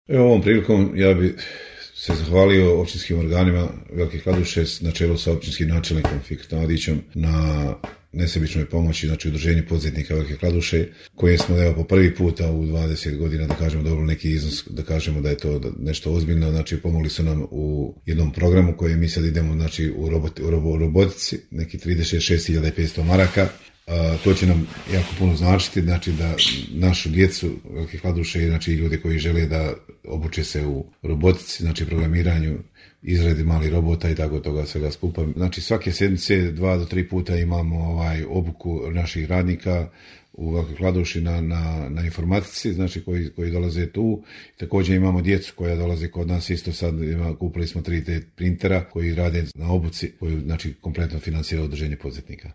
Evo ovom prilikom ja bi se zahvalio općinskim organima Velike Kladuše na čelu sa općinskim načelnikom Fikretom Adićem na nesebičnoj pomoći, znači udruženju poduzetnika Velike Kladuše, koje smo po prvi puta u 20 godina, da kažemo, dobili neki iznos, da kažemo da je to nešto ozbiljno, znači pomogli su nam u jednom programu koji mi sad idemo, znači u robotici, neki 36.500 maraka. To će nam jako puno značiti, znači da našu djecu Velike Kladuše, znači ljude koji žele da obuče se u robotici, znači programiranju, izradi malih robota i tako toga svega skupa. Znači svake sedmice 2 do 3 puta imamo obuku naših radnika u Velikoj Kladuši na informatici, znači koji dolaze tu. Također imamo djecu koja dolaze kod nas, isto sad kupili smo 3D printera koji rade na obuci, koju znači kompletno financira udruženje poduzetnika.